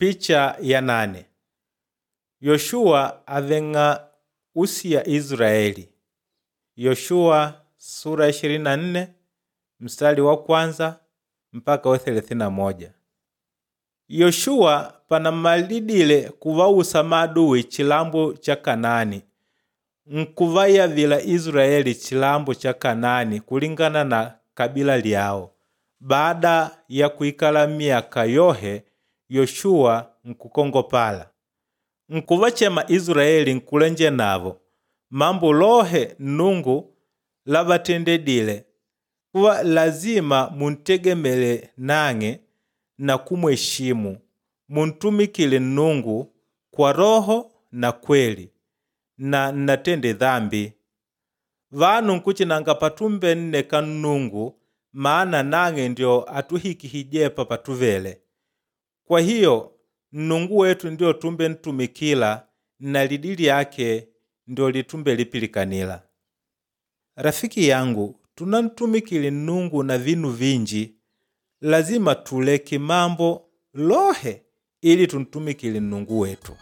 Picha ya 8. Yoshuwa aveng'a usiya Israeli. Yoshuwa sura ya 24 mstari wa kwanza mpaka wa 31. Yoshuwa panamalidile kuvausa maadui chilambo cha Kanaani, nkuvayavila Israeli chilambo cha Kanaani kulingana na kabila lyao. Baada ya kuikala myaka yohe, Yoshuwa nkukongopala. Nkuvachema Israeli nkulenje navo mambo lohe Nnungu lavatendedile kuva lazima muntegemele nang'e na kumweshimu, muntumikile Nnungu kwa roho na kweli, na nnatende dhambi. Vanu nkuchinanga patumbenneka Nnungu maana nang'e ndio atuhikihije patuvele. Kwa hiyo Nnungu wetu ndio tumbentumikila na lidi lyake ndio litumbelipilikanila. Rafiki yangu, tunantumikile Nnungu na vinu vinji, lazima tuleke mambo lohe ili tuntumikile Nnungu wetu.